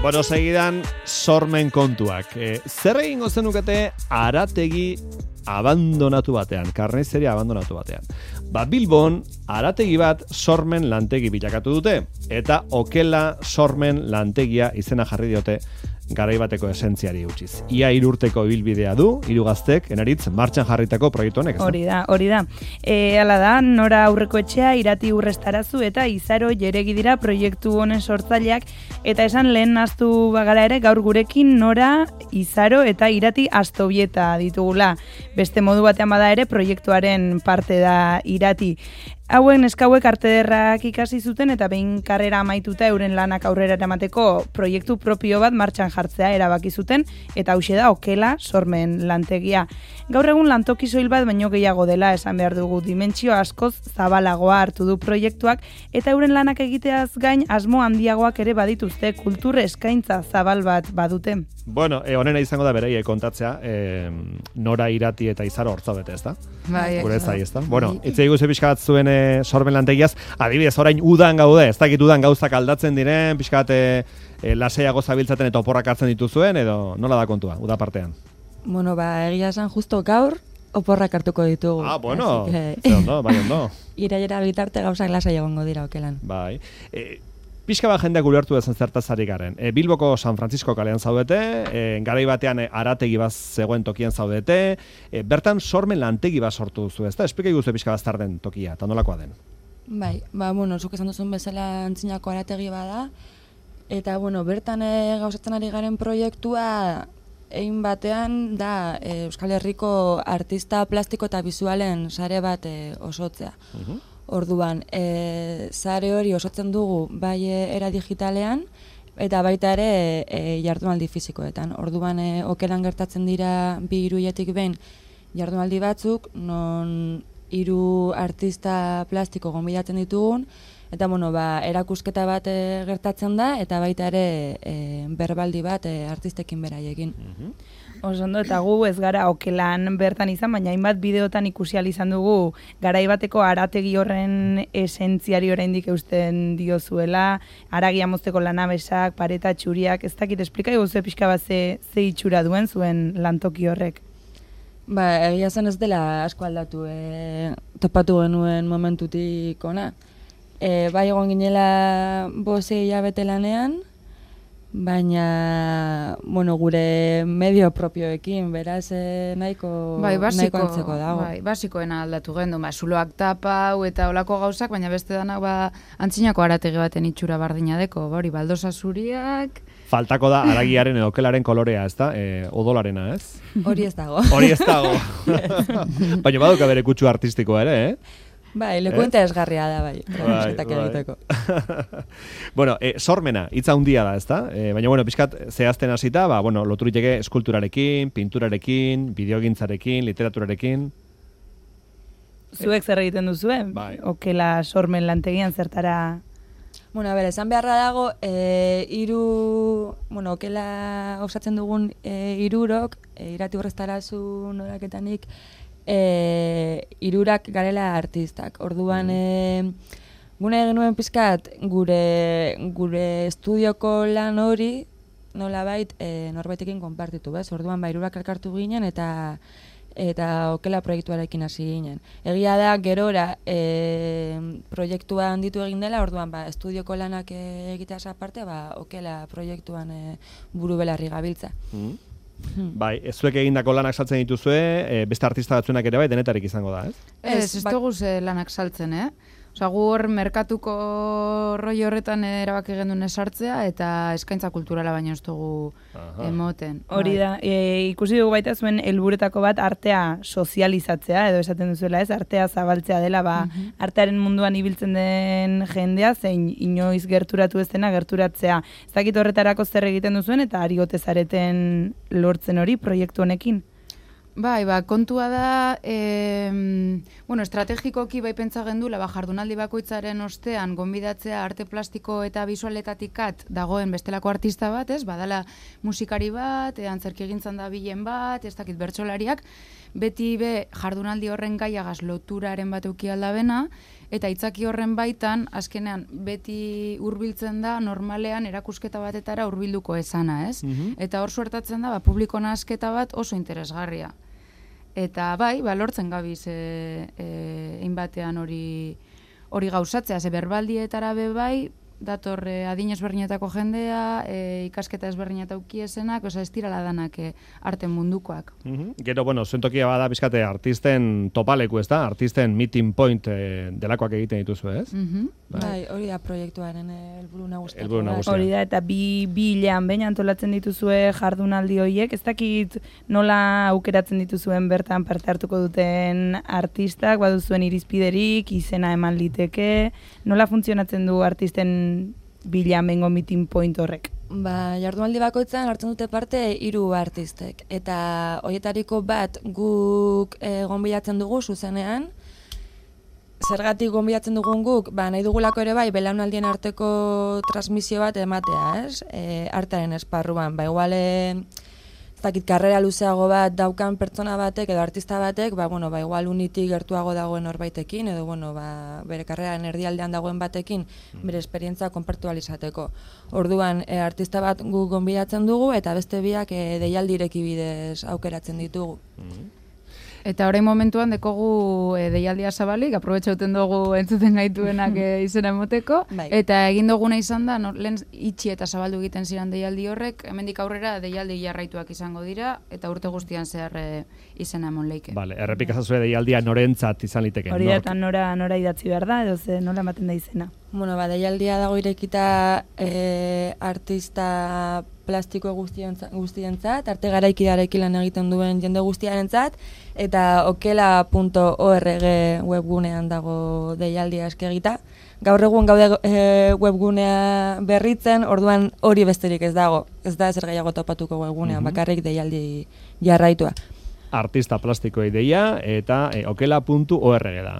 Bueno, segidan sormen kontuak. Zer egingo zenukete arategi abandonatu batean, karnizeria abandonatu batean. Bilbon, arategi bat sormen lantegi bilakatu dute, eta okela sormen lantegia izena jarri diote garaibateko esentziari utziz. Ia 3 urteko ibilbidea du, 3 gaztek, enaritz, martxan jarritako proiektu honek. Hori da. Hala da, Nora Aurreko Etxea, Irati Urrestarazu eta Izaro Jeregi dira proiektu honen sortzaileak, eta esan lehen naztu bagara ere, gaur gurekin Nora, Izaro eta Irati Astobieta ditugula. Beste modu batean bada ere, proiektuaren parte da Irati. Hauen eskauek arte ederrak ikasi zuten eta behin karrera amaituta euren lanak aurrera eramateko proiektu propio bat martxan jartzea erabaki zuten, eta hauxe da okela sormen lantegia. Gaur egun lantoki soil bat baino gehiago dela esan behar dugu, dimentsio askoz zabalagoa hartu du proiektuak, eta euren lanak egiteaz gain asmo handiagoak ere badituzte, kultur eskaintza zabal bat badute. Bueno, honena izango da bereiek kontatzea, Nora, Irati eta Izaro hortzabete, ez da? Bai, gure zai, ez da? Bueno, itzei guze pixka bat zuen sormen lantegiaz, adibidez, orain udan gaude, ez dakit udan gauzak aldatzen diren, pixka bat laseiago zabiltzaten eta oporrak hartzen dituzuen, edo nola da kontua, uda partean? Bueno, egia esan justo gaur oporrak hartuko ditugu. Bueno, ondo, bai ondo. Irailera bitarte gauzak lasai egongo dira okelan. Bai. Pixka bat jendeak ulertu dezen zertaz ari garen. Bilboko San Francisco kalean zaudete, garai batean arategi bat zegoen tokian zaudete, bertan sormen lantegi bat sortu duzu, ez da? Esplika iguzu pixka bat zer den tokia, eta nolakoa den? Bai, bueno, zuk esan duzun bezala antzinako arategi bada, eta bertan gauzatzen ari garen proiektua egin batean da Euskal Herriko artista plastiko eta bizualen sare bat osotzea. Orduan, sare hori osatzen dugu bai era digitalean eta baita ere jardunaldi fisikoetan. Orduan, okelan gertatzen dira 2 hiruiletik behin jardunaldi batzuk, non 3 artista plastiko gonbidatzen ditugun, eta erakusketa bat gertatzen da, eta baita ere berbaldi bat artistekin beraiekin. Osondo, eta gu ez gara okelan bertan izan, baina hainbat bideotan ikusi ahal izan dugu garaibateko arategi horren esentziari oraindik eusten diozuela, haragia mozteko lanabesak, pareta txuriak, ez dakit, esplika iguzu pixka bat ze itxura duen zuen lantoki horrek. Egia zen ez dela asko aldatu, topatu genuen momentutik ona. Bai egon ginela 5 hilabete lanean, baina, gure medio propioekin, beraz nahiko antzeko dago. Bai, basikoena aldatu gendu, zuloak tapau eta olako gauzak, baina beste danak antzinako arategi baten itxura bardina deko, baldosa zuriak. Faltako da aragiaren edo okelaren kolorea, ez da? Odolarena, ez? Hori ez dago. Hori ez dago. Baina baduka bere kutsu artistikoa ere, Bai, lekuenta esgarria da, bai. Egiteko. Bueno, sormena, hitza handia da, ez da? Baina, pixkat, zehazten hasita, loturiteke eskulturarekin, pinturarekin, bideogintzarekin, literaturarekin. Zuek zer egiten duzuen? Bai. Okela sormen lantegian zertara... Esan beharra dago, okela osatzen dugun 3 Irati Urrestarazu Noraketanik, 3 garela artistak. Orduan, gune genuen pizkat, gure estudioko lan hori, nolabait, norbaitekin konpartitu, bez? Orduan, 3 elkartu ginen eta okela proiektuarekin hasi ginen. Egia da, gerora proiektua handitu egin dela, orduan, estudioko lanak egiteaz aparte, okela proiektuan buru belarri gabiltza. Bai, zuek egindako lanak saltzen dituzue, beste artista batzuenak ere bai, denetarik izango da, ez? Ez dugu lanak saltzen, Osa, gu hor merkatuko roi horretan erabaki gendun esartzea eta eskaintza kulturala baino ez dugu emoten. Hori da, ikusi dugu baita zuen helburetako bat artea sozializatzea, edo esaten duzuela ez, artea zabaltzea dela, artearen munduan ibiltzen den jendea, zein inoiz gerturatu ez dena gerturatzea. Ez dakit horretarako zer egiten duzuen eta ari ote zareten lortzen hori proiektu honekin? Bai, kontua da, estrategikoki bai pentsa gendula, jardunaldi bakoitzaren ostean gonbidatzea arte plastiko eta bisualetatikat dagoen bestelako artista bat, ez? Badala musikari bat, antzerki egintzan da bilen bat, ez dakit bertsolariak, beti be jardunaldi horren gaiagaz loturaren bat euki aldabena, eta itzaki horren baitan, azkenean, beti hurbiltzen da, normalean erakusketa batetara hurbilduko esana, ez? Eta hor suertatzen da, publiko nahasketa bat oso interesgarria. Eta bai, lortzen gabiz hainbatean hori gauzatzea, ze berbaldietara be bai, dator adin ezberdinetako jendea, ikasketa ezberdineta ukiesenak, ez dirala danak arte mundukoak. Gero, bueno, zuentokia bada bizkate artisten topaleku, ez da? Artisten meeting point delakoak egiten dituzu, ez? Bai, hori da proiektuaren helburu nagusia. Hori da, eta bi hilean behin antolatzen dituzue jardunaldi horiek, ez dakit nola aukeratzen dituzuen bertan parte hartuko duten artistak, baduzuen irizpiderik, izena eman liteke, nola funtzionatzen du artisten bilan bengo meeting point horrek? Jardunaldi bakoitzan hartzen dute parte 3 artistek, eta horietariko bat guk gonbidatzen dugu zuzenean. Zergatik gonbidatzen dugun guk, nahi dugulako ere bai, belaunaldien arteko transmisio bat ematea, ez? Artearen esparruan, igual karrera luzeago bat daukan pertsona batek edo artista batek, igual unitik gertuago dagoen horbaitekin, edo bere karreraren erdialdean dagoen batekin, bere esperientzia konpartualizateko. Orduan, artista bat guk gonbidatzen dugu, eta beste biak deialdireki bidez aukeratzen ditugu. Eta orain momentuan dekogu deialdia zabalik, aprobetxauten dugu entzuten gaituenak izena emoteko, eta egin duguna izan da, lehen itxi eta zabaldu egiten ziren deialdi horrek, hemendik aurrera deialdi jarraituak izango dira, eta urte guztian zehar izena emon leike. Vale, errepikazazue deialdia norentzat izan liteke. Hori da, eta nora idatzi behar da, edo nola ematen da izena? Deialdia dago irekita artista plastiko guztientzat, arte garaikidarekin lan egiten duen jende guztiarentzat, eta okela.org webgunean dago deialdia eskegita. Gaur egun gaude webgunea berritzen, orduan hori besterik ez dago. Ez da ezer gehiago topatuko webgunean, bakarrik deialdi jarraitua. Artista plastikoei deia eta okela.org da.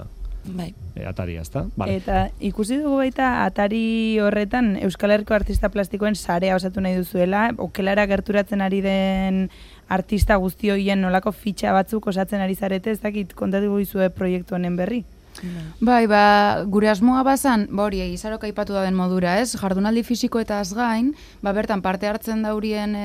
Bai. Ataria, ezta? Vale. Eta ikusi dugu baita atari horretan Euskal Herriko artista plastikoen sarea osatu nahi duzuela, okelara gerturatzen ari den artista guzti horien nolako fitxa batzuk osatzen ari zarete, ez dakit kontatu izue proiektu honen berri? Bai, gure asmoa bazan, hori izarok aipatu da den modura, ez? Jardunaldi fisikoetaz gain, bertan parte hartzen daurien,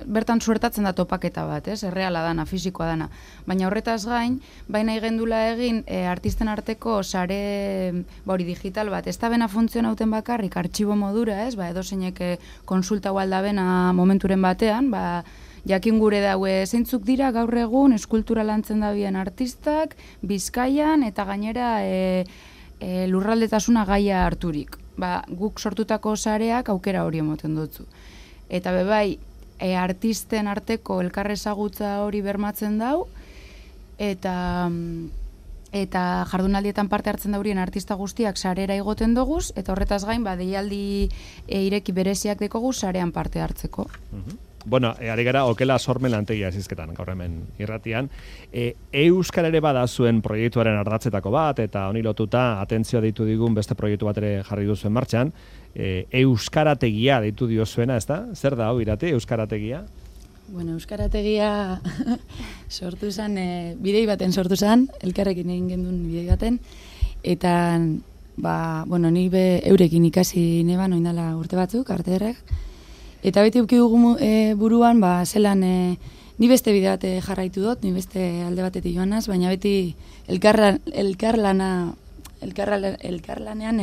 bertan suertatzen da topaketa bat, ez? Erreala dana, fisikoa dana. Baina horretaz gain, baina igendula egin artisten arteko sare digital bat, ez da bena funtzionauten bakarrik, artxibo modura, ez? Edo zeinek konsulta gualda bena momenturen batean, jakin gure daue zeintzuk dira gaur egun eskultura lantzen dabien artistak, Bizkaian eta gainera lurraldetasuna gaia harturik. Guk sortutako sareak aukera hori emoten dutzu. Eta bebai, artisten arteko elkarrezagutza hori bermatzen dau, eta jardunaldietan parte hartzen daurien artista guztiak sarera igoten doguz, eta horretaz gain, deialdi ireki bereziak dekogu sarean parte hartzeko. Bueno, ari gara okela sormen lantegia zizketan, gaur hemen irratian. Euskara ere bada zuen proiektuaren ardatzetako bat, eta honi lotuta atentzioa deitu digun beste proiektu bat ere jarri duzuen martxan. Euskarategia deitu diozuena, ez da? Zer da, Irati, Euskarategia? Bueno, Euskarategia sortu zen, bidei baten sortu zen, elkarrekin egin gendun bidei baten, eta, ni eurekin ikasi neban, oindala urte batzuk, arteerrek, eta beti uki dugu buruan, zelan ni beste bide bat jarraitu dut, ni beste alde batetik joanaz, baina beti elkarlanean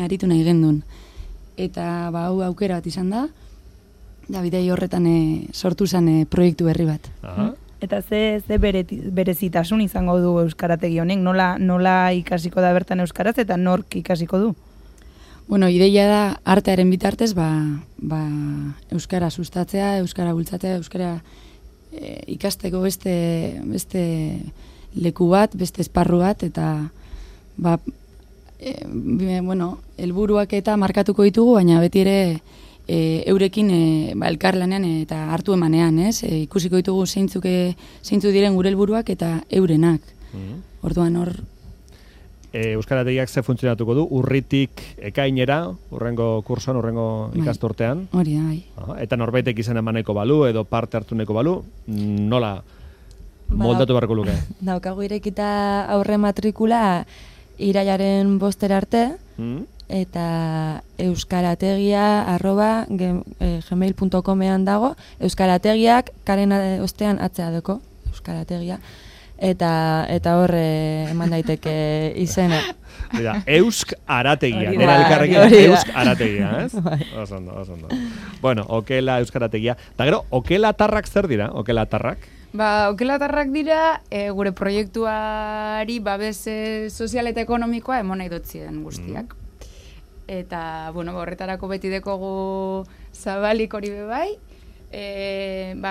aritu nahi gendun. Eta hau aukera bat izan da, da bidei horretan sortu zen proiektu berri bat. Eta ze berezitasun izango du Euskarategi honek, nola ikasiko da bertan euskaraz eta nork ikasiko du? Bueno, ideia da artearen bitartez, euskara sustatzea, euskara bultzatzea, euskara ikasteko beste leku bat, beste esparru bat, eta helburuak eta markatuko ditugu, baina beti ere eurekin elkarlanean eta hartu emanean, ez? Ikusiko ditugu zeintzuk diren gure helburuak eta eurenak. Orduan hor Euskarategiak ze funtzionatuko du, urritik ekainera, urrengo kursoan, urrengo ikasturtean. Hori da, bai. Eta norbaitek izan emaneko balu, edo parte hartuneko balu, nola moldatu beharko luke. Daukagu irekita aurre matrikula irailaren 5 arte, eta euskarategia@gmail.comean dago, euskarategiak karen ostean atzea deko, euskarategia, eta hor eman daiteke izena. Mira, Eusk Arategia, nera elkarrekin Eusk Arategia, ez? Oso ondo. Bueno, okela Euskarategia. Da gero, okelatarrak zer dira, okelatarrak? Okelatarrak dira, gure proiektuari babes sozial eta ekonomikoa emon nahi dotzien guztiak. Eta, horretarako beti dekogu zabalik hori bebai,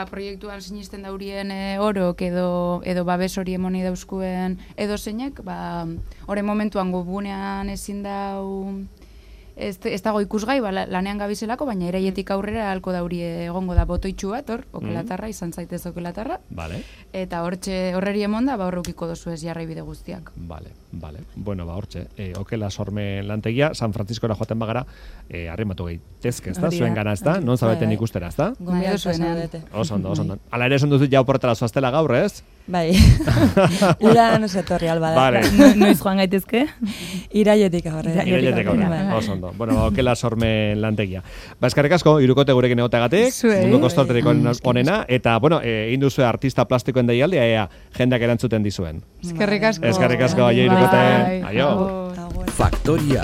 proiektuan sinisten daurien orok edo babes hori emoni dauzkuen edo zeinek, hori momentuan gubunean ezin dau ez dago ikusgai, lanean gabizelako, baina iraietik aurrera halko dauri egongo da botoitxu bat, okelatarra, izan zaitez okelatarra. Vale. Eta horreri emonda, horreukiko dozu ez jarrai bide guztiak. Vale. Bueno, hortxe, okela sormen lantegia, San Franciscora joaten bagara, arrimatu gaitezke, ez da? Zuen gana, ez da? Non zabeten ikustera, ez da? Gombiatu zuen. Oso ondo. Ala ere esan duzu jau portara zoaztela gaur, ez? Bai, udan etorri alba da. Vale. Noiz joan gaitezke? Irailetik aurrera. Oso ondo. Bueno, okela sormen lantegia. Eskerrik asko, hirukote gurekin egoteagatik, munduko storterik onena, eta, egin duzu artista plastikoen deialdia, ea jendeak erantzuten dizuen. Eskerrik asko. Eskerrik asko, hirukote. Aio. Faktoria.